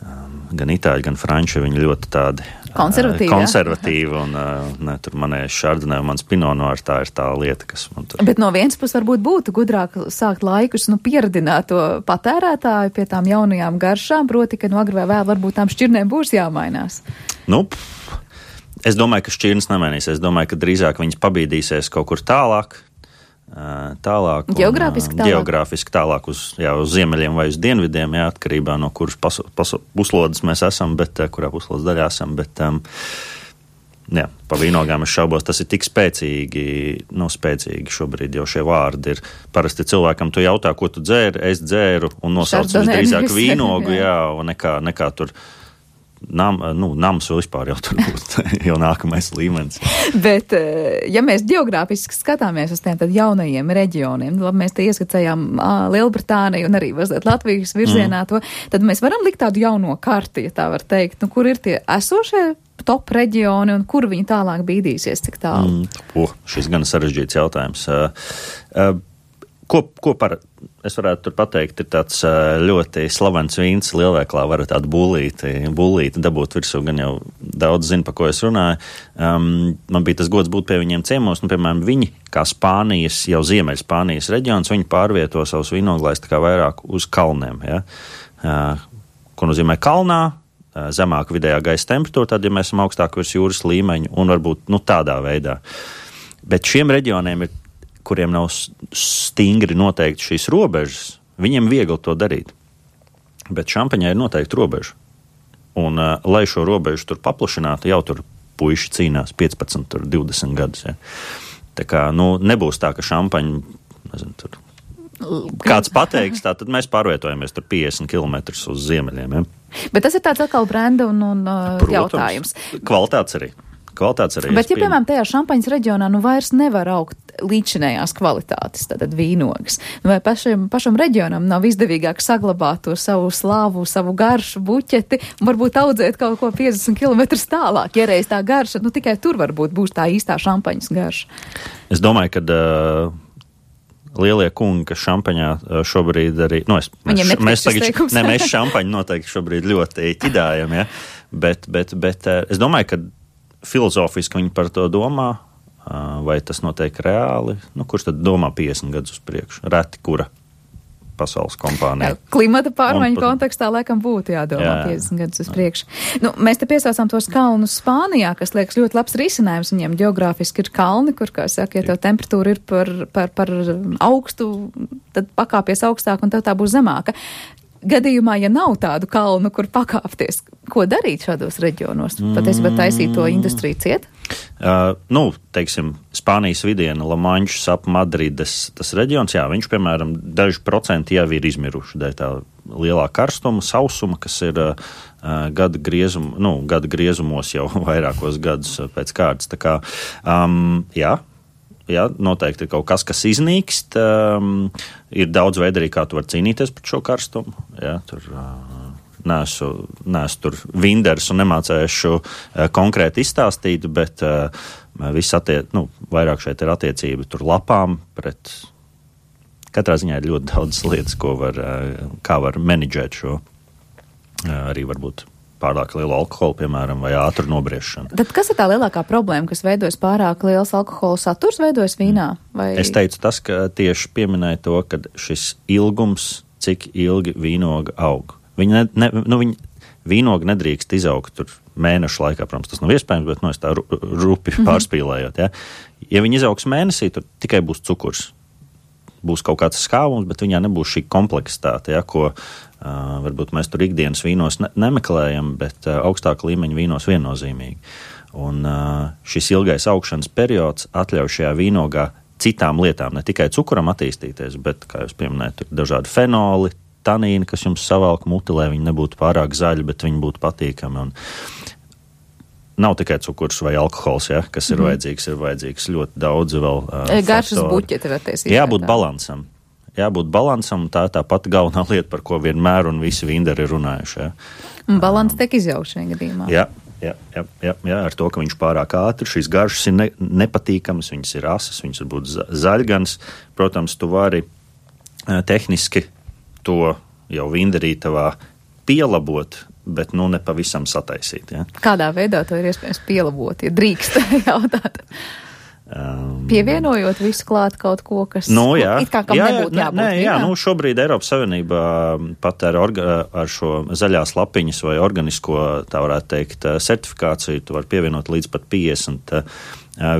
um, gan itāļi, gan franči, viņi ļoti tādi konservatīvi, uh, konservatīvi un uh, ne, tur manēs šardinē un mans pinonoir, tā ir tā lieta, kas man tur. Bet no vienas puses varbūt būtu gudrāk sākt laikus, nu, pieredināt to patērētāju pie tām jaunajām garšām, proti, ka no agri vai vēl varbūt tām šķirnēm būs jāmainās. Nu, pff, es domāju, ka šķirnes nemainīsies. Es domāju, ka drīzāk viņas pabīdīsies kaut kur tālāk. Tālāk. Geogrāfiski tālāk? Geogrāfiski tālāk uz, jā, uz ziemeļiem vai uz dienvidiem, jā, atkarībā no kuras pasu, pasu, puslodes mēs esam, bet kurā puslodes daļā esam, bet um, jā, pa vīnogām es šaubos, tas ir tik spēcīgi, nu spēcīgi šobrīd jau šie vārdi ir. Parasti cilvēkam tu jautā, ko tu dzēri, es dzēru un nosauc visdrīzāk vīnogu, jā, un nekā, nekā tur Nam, nu, nams vēl vispār jau tur būs jau nākamais līmenis. Bet, ja mēs geogrāfiski skatāmies uz tiem tad jaunajiem reģioniem, labi, mēs te ieskatījām Lielbritāniju un arī mazliet Latvijas virzienā mm. to, tad mēs varam likt tādu jauno karti, ja tā var teikt, nu, kur ir tie esošie top reģioni un kur viņi tālāk bīdīsies, cik tālu? Mm, o, šis gan sarežģīts jautājums. Uh, uh, Ko, ko par, es varētu tur pateikt, ir tāds ļoti slavens vīns lielveiklā, varat tādu bulīti, bulīti dabūt virsū, gan jau daudz zina, pa ko es runāju. Um, man bija tas gods būt pie viņiem ciemos, nu, piemēram, viņi, kā Spānijas, jau Ziemeļ Spānijas reģions, viņi pārvieto savus vīnoglājus tā kā vairāk uz kalniem, ja? Uh, ko nozīmē kalnā, uh, zemāka vidējā gaisa temperatūra, tad, ja mēs esam augstāk virs jūras līmeņa, un varbūt, nu, tādā veidā. Bet šiem reģioniem ir kuriem nav stingri noteikti šīs robežas, viņiem viegli to darīt. Bet šampaņai ir noteikti robeža. Un, uh, lai šo robežu tur paplašinātu, jau tur puiši cīnās piecpadsmit, tur divdesmit gadus. Ja. Tā kā, nu, nebūs tā, ka šampaņa, nezinu, tur kāds pateiks, tā tad mēs pārvietojamies tur piecdesmit kilometrus uz ziemeļiem. Ja. Bet tas ir tāds atkal brenda un, un uh, Protams, jautājums. Kvalitātes arī. Kvalitātes arī. Bet, ja, piemēram, tajā šampaņas reģionā nu vairs nevar augt līdzinējās kvalitātes, tātad vīnogas, vai pašam, pašam reģionam nav izdevīgāk saglabāt to savu slāvu, savu garšu buķeti un varbūt audzēt kaut ko piecdesmit kilometrus tālāk, ja reiz tā garša, nu tikai tur varbūt būs tā īstā šampaņas garša. Es domāju, ka uh, lielie kungi, kas šampaņā uh, šobrīd arī, nu, es, mēs, mēs, tagad, ne, mēs šampaņu noteikti šobrīd ļoti ķidājam, ja, bet, bet, bet uh, es domāju, ka filozofiski viņi par to domā, vai tas notiek reāli, nu, kurš tad domā piecdesmit gadus uz priekšu? Reti, kura pasaules kompānija. Klimata pārmaiņu Un, kontekstā laikam būtu jādomā jā, piecdesmit gadus uz priekšu. Nu, mēs te piesaucām tos kalnus Spānijā, kas liekas ļoti labs risinājums. Viņiem geogrāfiski ir kalni, kur, kā saka, ja tev temperatūra ir par, par, par augstu, tad pakāpies augstāk un tev tā būs zemāka. Gadījumā, ja nav tādu kalnu, kur pakāpties, ko darīt šādos reģionos? Patiesībā taisīt to industriju ciet? Uh, nu, teiksim, Spānijas vidiena, Lamanšas ap Madrides, tas reģions, jā, viņš, piemēram, daži procenti jau ir izmiruši dēļ tā lielā karstuma, sausuma, kas ir uh, gada, griezum, nu, gada griezumos jau vairākos gadus pēc kārtas. Tā kā, um, jā, jā, noteikti ir kaut kas, kas iznīkst. Um, ir daudz veidu arī, kā tu var cīnīties par šo karstumu. Jā, tur... Uh, Nesu, nesu tur vinders un nemācēšu uh, konkrēti izstāstīt, bet uh, viss attiec, nu, vairāk šeit ir attiecība tur lapām pret, katrā ziņā ir ļoti daudz lietas, ko var, uh, kā var menedžēt šo, uh, arī varbūt pārāk lielu alkoholu, piemēram, vai ātru nobriešanu. Tad kas ir tā lielākā problēma, kas veidojas pārāk liels alkohola saturs, veidojas vīnā? Vai... Es teicu tas, ka tieši pieminēja to, ka šis ilgums, cik ilgi vīnoga aug. Viņi, ne, ne, nu, viņi vīnogi nedrīkst izaugt tur mēnešu laikā, protams, tas nav iespējams, bet, nu, es tā rupi mm-hmm. pārspīlējot, ja. Ja viņi izaugs mēnesī, tur tikai būs cukurs. Būs kaut kāds skāvums, bet viņā nebūs šī kompleksitāte, ja, ko uh, varbūt mēs tur ikdienas vīnos ne, nemeklējam, bet uh, augstāka līmeņa vīnos viennozīmīgi. Un uh, šis ilgais augšanas periods atļauj šajā vīnogā citām lietām, ne tikai cukuram attīstīties, bet, kā jūs pieminējat, tur dažādi fenoli, tanīni, kas jums savalk muti, lai viņi nebūtu pārāk zaļi, bet viņi būtu patīkami. Un nav tikai cukurs vai alkohols, ja, kas ir mm. vajadzīgs, ir vajadzīgs ļoti daudz vēl uh, garšas buķeti var tiesīt. Jābūt balansam. Jābūt balansam, tā ir tā pati galvenā lieta, par ko vienmēr un visi vinderi ir runājuši. Ja. Un balans tiek izjaukts šajā gadījumā. Jā, jā, jā, jā, jā, ar to, ka viņš pārāk ātri, šīs garšas ir ne, nepatīkamas, viņas ir asas, viņas var būt zaļgans. Protams, tu vari uh, tehniski to jau vinderītavā pielabot, bet nu nepavisam sataisīt. Ja? Kādā veidā to ir iespējams pielabot, ja drīkst jautāt? Um, Pievienojot visu klāt kaut ko, kas nu, jā, it kā kam jā, nebūtu jābūt. Nē, jā, nu šobrīd Eiropas Savienībā pat ar, orga, ar šo zaļās lapiņas vai organisko, tā varētu teikt, certifikāciju, tu var pievienot līdz pat piecdesmit uh,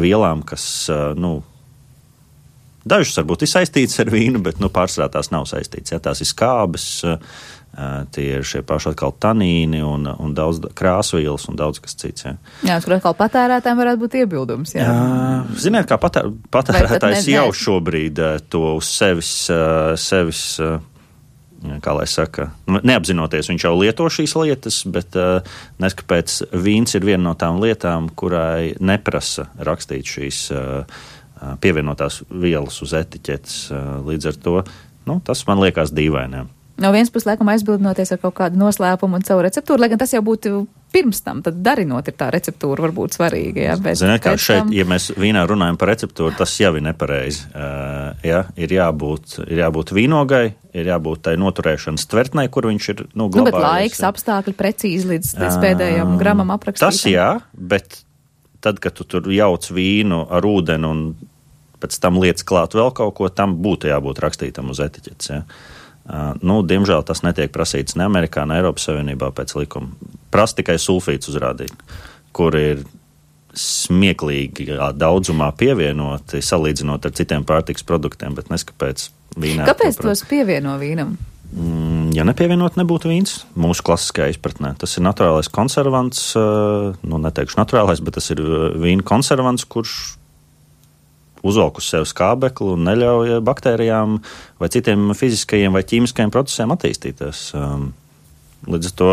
vielām, kas, uh, nu, dažas varbūt ir saistītas ar vīnu, bet nu, pārsvarā tās nav saistītas. Ja, tās ir skābes, tie ir šie paši atkal tanīni un, un daudz krāsvielas un daudz kas cits. Ja. Jā, kur atkal patērētājiem varētu būt iebildums. Jā. Jā, ziniet, kā patēr, patērētājs jau šobrīd to uz sevis, sevis, kā lai saka, neapzinoties, viņš jau lieto šīs lietas, bet nes, kāpēc vīns ir viena no tām lietām, kurai neprasa rakstīt šīs pievienotās vielas uz etiķetes. Līdz ar to, nu, tas man liekas dīvainiem. No vienas puses, laikam, aizbildinoties ar kaut kādu noslēpumu un savu receptūru, lai gan tas jau būtu pirms tam, tad darinot ir tā receptūra varbūt svarīga. Jā, bet Ziniet, kā šeit, tam... ja mēs vīnā runājam par receptūru, tas jau ir nepareizi. Uh, ja, ir, jābūt, ir jābūt vīnogai, ir jābūt tai noturēšanas tvertnei, kur viņš ir, nu, glabājies. Nu, bet laiks, apstākļi precīzi līdz, līdz pēdējam uh, gramam aprakstītam. Tas jā, bet tad, kad tu tur jauc vīnu ar ūdeni un pēc tam lietas klāt vēl kaut ko, tam būtu jābūt rakstītam uz etiķetes. Ja. Uh, nu, diemžēl tas netiek prasīts ne Amerikā, ne Eiropas Savienībā pēc likuma. Prasa tikai sulfīts uzrādīt, kur ir smieklīgi daudzumā pievienoti, salīdzinot ar citiem pārtikas produktiem, bet neskapēc vīnā. Kāpēc tos pievieno vīnam? Mm, ja nepievienot, nebūtu vīns mūsu klasiskajā izpratnē. Tas ir naturālais konservants, uh, nu, neteikšu naturālais, bet tas ir vīna konservants, kurš uzvelk uz sevi skābekli un neļauj baktērijām vai citiem fiziskajiem vai ķīmiskajiem procesiem attīstīties. Um, līdz ar to,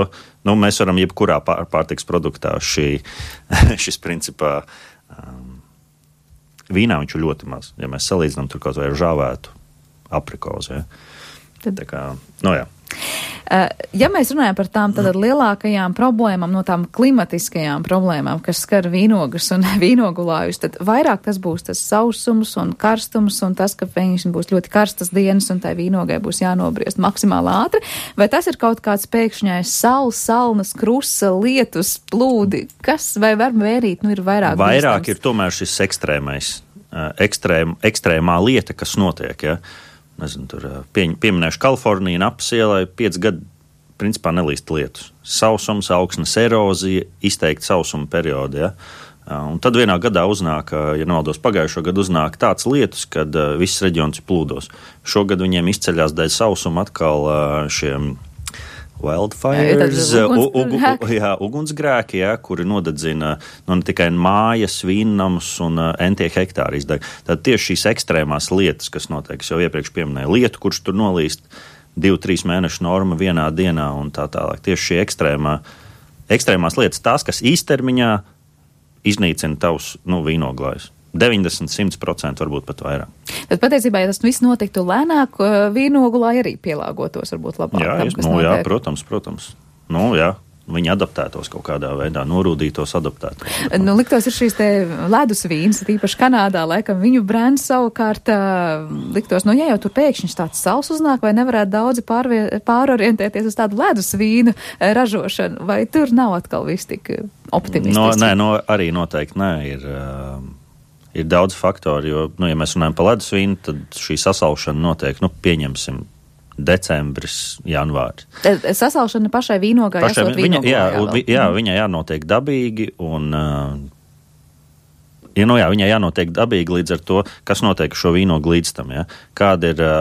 nu, mēs varam jebkurā pār, pārtiks produktā šī, šis principā um, vīnā viņš ir ļoti maz, ja mēs salīdzinām tur kaut vai ar žāvētu aprikozu. Ja. Tad... Tā kā, nu jā. Ja mēs runājam par tām tad lielākajām problēmām, no tām klimatiskajām problēmām, kas skar vīnogas un vīnogulājus, tad vairāk tas būs tas sausums un karstums un tas, ka pēkšņi būs ļoti karstas dienas un tai vīnogai būs jānobriest maksimāli ātri, vai tas ir kaut kāds pēkšņais saules, salnas, krusa, lietus, plūdi, kas vai var mērīt, nu ir vairāk Vairāk bīstams. Ir tomēr šis ekstrēmais, ekstrēm, ekstrēmā lieta, kas notiek, ja. Nezinu, tur pie, pieminēšu Kaliforniju, Napas ielai, pieci gadi principā nelīst lietus. Sausums, augsnes erozija, izteikti sausuma periodi, ja. Un tad vienā gadā uznāk, ja nemaldos pagājušo gadu uznāk tāds lietus, kad viss reģions ir plūdos. Šogad viņiem izceļās dēļ sausuma atkal šiem wildfires, uguns, ugu, jā, ugunsgrēki, jā, kuri nodedzina nu, ne tikai mājas, vīnnamus un uh, entie hektāri izdeg. Tad tieši šīs ekstrēmās lietas, kas notiek, es jau iepriekš pieminēju, lietu, kurš tur nolīst divu, trīs mēnešu norma vienā dienā un tā tālāk. Tieši šī ekstrēmā, ekstrēmās lietas, tās, kas īstermiņā iznīcina tavus nu, vīnoglājus. deviņdesmit līdz simt procenti varbūt pat vairāk. Tad patiesībā, ja tas viss notiktu lēnāk, vīnogulāji arī pielāgotos varbūt labāk. Jā, tam, es, nu, jā protams, protams. Nu, jā. Viņi adaptētos kaut kādā veidā, norūdītos, adaptētos. Nu, liktos ir šīs te ledus vīns, tīpaši Kanādā, laikam viņu brands savukārt liktos, nu, ja jau tur pēkšņi tāds sals uznāk, vai nevarētu daudzi pārvie, pārorientēties uz tādu ledus vīnu ražošanu, vai tur nav atkal viss tik optimistiski? No, nē, no, arī noteikti nē, ir, uh, ir daudz faktori, jo, nu, ja mēs runājam par ledus vīnu, tad šī sasalšana notiek, nu, pieņemsim, decembris, janvāris. Sasalšana pašai vīnogai pašai, esot viņa, jā, vīnogai. jā, viņai jānotiek dabīgi un, uh, ja, nu, jā, viņai jānotiek dabīgi līdz ar to, kas notiek šo vīnogu līdz tam, ja? Kāda ir uh,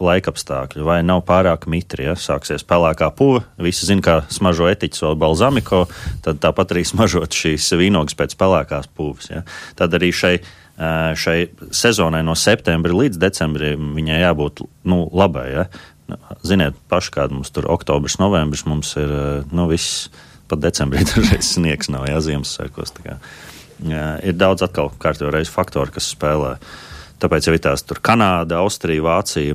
laikapstākļi, vai nav pārāk mitri, ja? Sāksies pelēkā puva, visi zina, kā smažo etiķis vai balzamiko, tad tāpat arī smažot šīs vīnogas pēc pelēkās puvas, ja? Tad arī šai šai sezonai no septembra līdz decembrim viņai jābūt nu, labai, ja? Ziniet, paši kāda mums tur oktobris, novembris, mums ir, nu, viss, pat decembrī dažreiz sniegs nav, jā, Ziemassvētkos, tā kā. Jā, ir daudz atkal kārtībā reiz faktori, kas spēlē. Tāpēc jau ir tās tur Kanāda, Austrija, Vācija,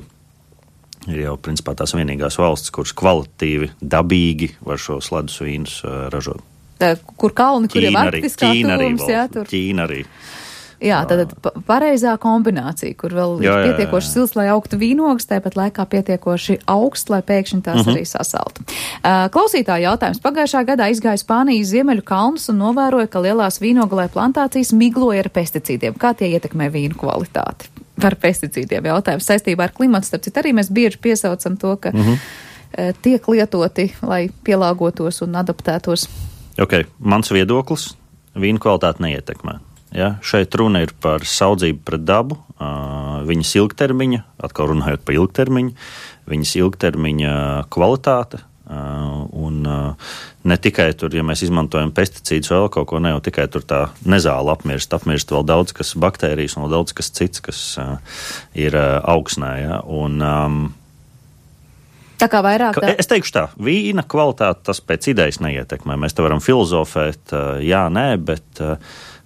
ir jau, principā, tās vienīgās valstis, kuras kvalitatīvi, dabīgi var šos ledus vīnus uh, ražot. Tā, kur kalni, kur ir arktiskā Ķīna arī, tuvums, jā, tur. Ķīna arī. Jā, tad pareizā kombinācija, kur vēl ir pietiekoši sils, lai augtu vīnogas, tāpat laikā pietiekoši augsts, lai pēkšņi tās uh-huh. arī sasaltu. Uh, klausītāja jautājums. Pagājušā gadā izgāja Spānijas ziemeļu kalnus un novēroja, ka lielās vīnogalē plantācijas migloja ar pesticīdiem. Kā tie ietekmē vīnu kvalitāti? Par pesticīdiem jautājums saistībā ar klimatu. Starp citu, arī mēs bieži piesaucam to, ka uh-huh. uh, tiek lietoti, lai pielāgotos un adaptētos. Ok, mans viedoklis vīnu kvalitāti neietekmē. Ja, šeit runa ir par saudzību pret dabu, uh, viņas ilgtermiņa, atkal runājot par ilgtermiņu, viņas ilgtermiņa kvalitāte, uh, un uh, ne tikai tur, ja mēs izmantojam pesticīdus vēl kaut ko, ne jau tikai tur tā nezāla apmirst, apmirst vēl daudz kas baktērijas un vēl daudz kas cits, kas uh, ir uh, augsnē, ja, un um, tā kā vairāk tā... Es teikšu tā, vīna kvalitāte tas pēc idejas neietekmē, mēs te varam filozofēt, uh, jā, nē, bet uh,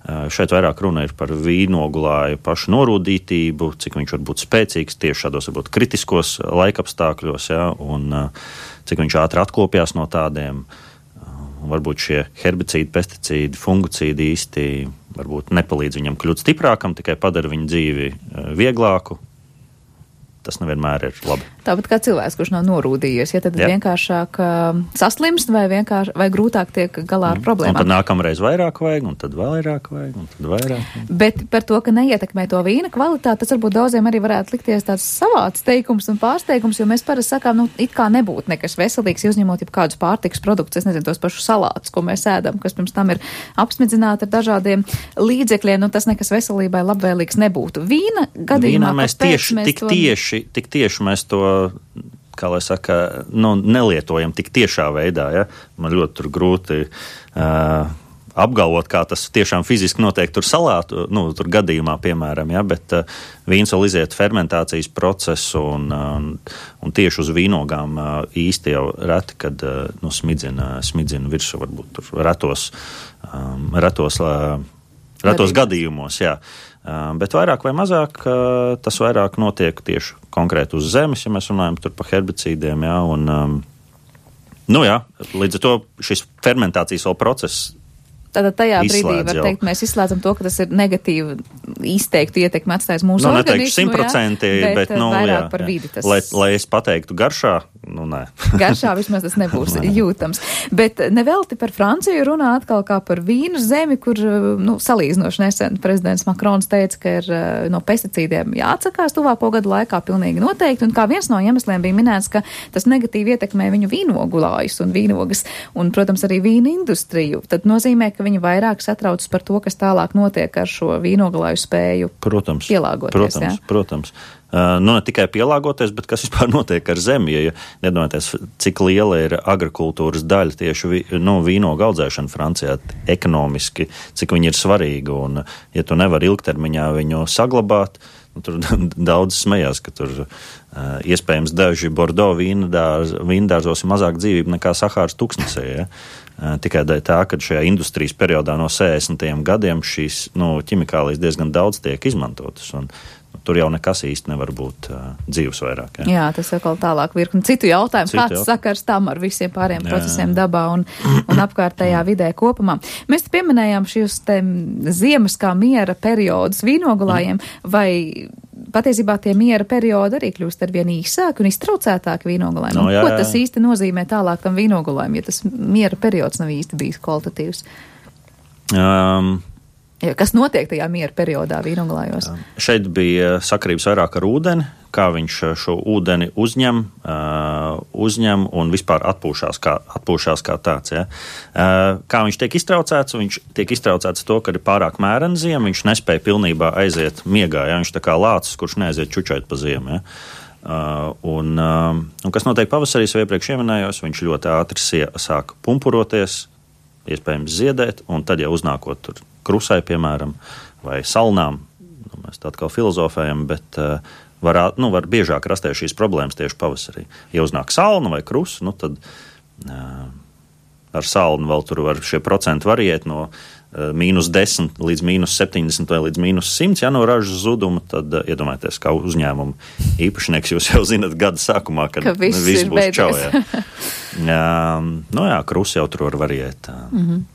šeit vairāk runa ir par vīnogulāju pašu norūdītību, cik viņš var būt spēcīgs tieši šādos varbūt kritiskos laikapstākļos, ja, un cik viņš ātri atkopjās no tādiem. Varbūt šie herbicīdi, pesticīdi, fungicīdi īsti varbūt nepalīdz viņam kļūt stiprākam, tikai padara viņu dzīvi vieglāku. Tas nevienmēr ir labi. Tāpat kā cilvēks, kurš nav norūdījies, ja tad Jā. vienkāršāk uh, saslimst vai, vienkārši, vai grūtāk tiek galā ar problēmām. Un tad nākamreiz vairāk vajag, un tad vairāk vajag, un tad vairāk. Bet par to, ka neietekmē to vīna kvalitāti, tas varbūt daudziem arī varētu likties tāds savāds teikums un pārsteigums, jo mēs parasti sakām, nu, it kā nebūtu nekas veselīgs, uzņemot jau kādus pārtikas produktus, es nezinu, tos pašus salātus, ko mēs ēdam, kas pirms tam ir apsmidzināti ar dažādiem līdzekļiem, nu tas nekas veselībai labvēlīgs nebūtu. Vīna gadījumā, Vīnā mēs tieši, mēs tik to... tieši Tik tieši mēs to, kā lai saka, nu, nelietojam tik tiešā veidā, ja? Man ļoti tur grūti uh, apgalvot, kā tas tiešām fiziski notiek tur salātu, nu, tur gadījumā, piemēram, ja? Bet uh, vīns vēl iziet fermentācijas procesu un, uh, un tieši uz vīnogām uh, īsti jau reti, kad uh, nu, smidzina, smidzina virsū, varbūt tur retos, um, retos, uh, retos gadījumos, jā. Uh, bet vairāk vai mazāk uh, tas vairāk notiek tieši konkrēti uz zemes, ja mēs runājam tur par herbicīdiem, jā, un, um, Nu jā, līdz ar to šis fermentācijas vēl process. Tātad tajā Izslēdz brīdī var jau. teikt, mēs izslēdzam to, ka tas ir negatīvi izteiktu ietekmi atstājis mūsu Nu, organismu, neteikšu simtprocentīgi, jā, bet, bet nu, vairāk jā, par jā. vidi tas. Lai, lai es pateiktu garšā, nu, nē. Garšā vismaz tas nebūs jūtams. Bet nevelti par Franciju runā atkal kā par vīnu zemi, kur, nu, salīdzinoši nesen prezidents Makrons teica, ka ir no pesticīdiem jāatsakās tuvāko gadu laikā pilnīgi noteikti, un kā viens no iemesliem bija minēts, ka tas negatīvi ietekmē viņu vīnogulājus un vīnogas, un, protams, arī vīna industriju. Tad nozīmē, ka viņi vairāk satraucas par to, kas tālāk notiek ar šo vīnogalāju spēju protams, pielāgoties. Protams, jā? protams. Uh, nu, ne tikai pielāgoties, bet kas vispār notiek ar zemi, ja nedomāties, cik liela ir agrikultūras daļa tieši vi, nu, vīnogu audzēšana Francijā ekonomiski, cik viņi ir svarīgi, un ja tu nevari ilgtermiņā viņu saglabāt, nu, tur daudz smējās, ka tur uh, iespējams daži Bordeaux vīndārzos ir mazāk dzīvība nekā Sahāras tuksnesē, ja? Uh, tikai dēļ tā, ka šajā industrijas periodā no sešdesmitajiem gadiem šīs nu, ķimikālijas diezgan daudz tiek izmantotas, un nu, tur jau nekas īsti nevar būt uh, dzīvs vairāk. Ja? Jā, tas atkal tālāk virkni citu jautājumu. Citu Kāds jautājumu. sakars tam ar visiem pāriem Jā. procesiem dabā un, un apkārtējā vidē kopumā? Mēs te pieminējām šīs te ziemas kā miera periodus vīnogulājiem, vai patiesībā tie miera periodi arī kļūst ar vien īsāki un iztraucētāki vīnogulājiem? No, jā, Ko jā. tas īsti nozīmē tālāk tam vīnogulājiem, ja tas miera periods nav īsti bijis kvalitatīvs? Um, Ja, kas notiek tajā miera periodā vīnogulājos? Šeit bija sakarības vairāk ar ūdeni, kā viņš šo ūdeni uzņem, uh, uzņem un vispār atpūšās kā, atpūšās kā tāds. Ja. Uh, kā viņš tiek iztraucēts? Viņš tiek iztraucēts to, ka ir pārāk mērena ziema, viņš nespēja pilnībā aiziet miegā. Ja. Viņš tā kā lācis, kurš neaiziet čučēt pa ziemu. Ja. Uh, un, uh, un kas notiek pavasarī, jau iepriekš ieminējos, viņš ļoti ātri sie, sāk pumpuroties, iespējams ziedēt, un tad jau uznākot tur krusai, piemēram, vai salnām, nu, mēs tā atkal filozofējam, bet uh, var, nu, var biežāk rasties šīs problēmas tieši pavasarī. Ja uznāk salna vai krusa, nu, tad uh, ar salnu vēl tur var šie procenti variēt no uh, mīnus desmit līdz mīnus septiņdesmit vai līdz mīnus simts, ja no ražas zuduma, tad uh, iedomājieties, kā uzņēmuma īpašnieks jūs jau zinat gada sākumā, kad ka viss, viss ir būs čau. beidzies. Jā. Jā, nu jā, krusa jau tur var variēt. Mm-hmm.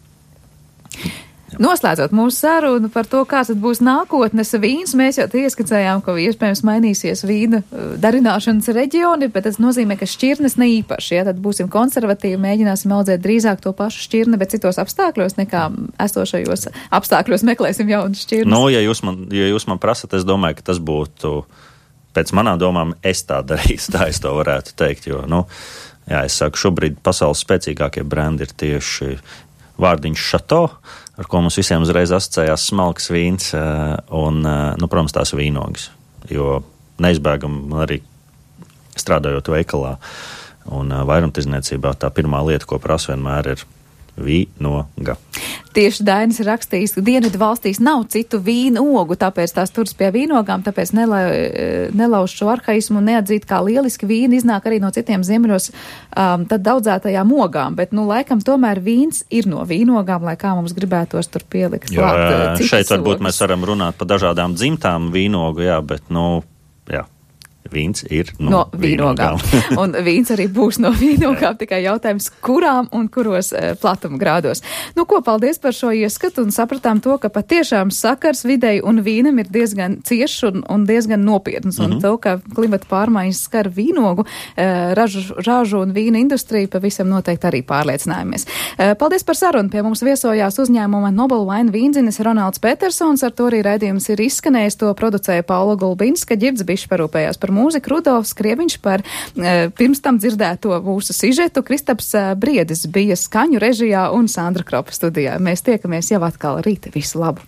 Noslēdzot mūsu sarunu par to, kāds tad būs nākotnes vīns, mēs jau ieskicējām, ka iespējams mainīsies vīna darināšanas reģioni, bet tas nozīmē, ka šķirnes ne īpaši, ja tad būsim konservatīvi, mēģināsim audzēt drīzāk to pašu šķirni, bet citos apstākļos nekā esošajos apstākļos meklēsim jaunas šķirnes. Nu, ja jūs man, ja jūs man prasat, es domāju, ka tas būtu, pēc manām domām, es tā darīšu, tā es to varētu teikt, jo, nu, jā, es saku, šobrīd pasaules spēcīgākie brendi ir tieši vārdiņš Chateau, ar ko mums visiem uzreiz asociējās smalks vīns un, nu, protams, tās vīnogas, jo neizbēgam arī strādājot veikalā un vairumtirdzniecībā tā pirmā lieta, ko prasa vienmēr ir vīnoga. Tieši Dainis ir rakstījis, ka Dienvidu valstīs nav citu vīnu ogu, tāpēc tās turas pie vīnogām, tāpēc nela, nelauž šo arhaismu un neatzīt, kā lieliski vīni iznāk arī no citiem ziemeļos um, tad daudzētajām ogām, bet, nu, laikam tomēr vīns ir no vīnogām, lai kā mums gribētos tur pielikt. Jā, klāt, šeit varbūt ogas. mēs varam runāt par dažādām dzimtām vīnogu, jā, bet, nu, jā. Vīns ir no, no vīnogām. vīnogām. Un vīns arī būs no vīnogām, tikai jautājums, kurām un kuros e, platuma grādos. Nu, ko, paldies par šo ieskatu un sapratām to, ka patiešām sakars videi un vīnam ir diezgan ciešs un, un diezgan nopietns. Mm-hmm. Un to, ka klimata pārmaiņas skar vīnogu, e, ražu, ražu un vīna industriju, pavisam noteikti arī pārliecinājāmies. E, paldies par sarunu. Pie mums viesojās uzņēmuma Nobel Wine vīndzinis Ronalds Petersons, ar to arī raidījums ir izskanējis, to producēja Paula Gulbinska, Ģirds Bišs parūpējās par mūziku, Rudolfs Krieviņš par e, pirms tam dzirdēto mūsu sižetu, Kristaps e, Briedis bija skaņu režijā un Sandra Kropa studijā. Mēs tiekamies jau atkal rīt. Visu labu!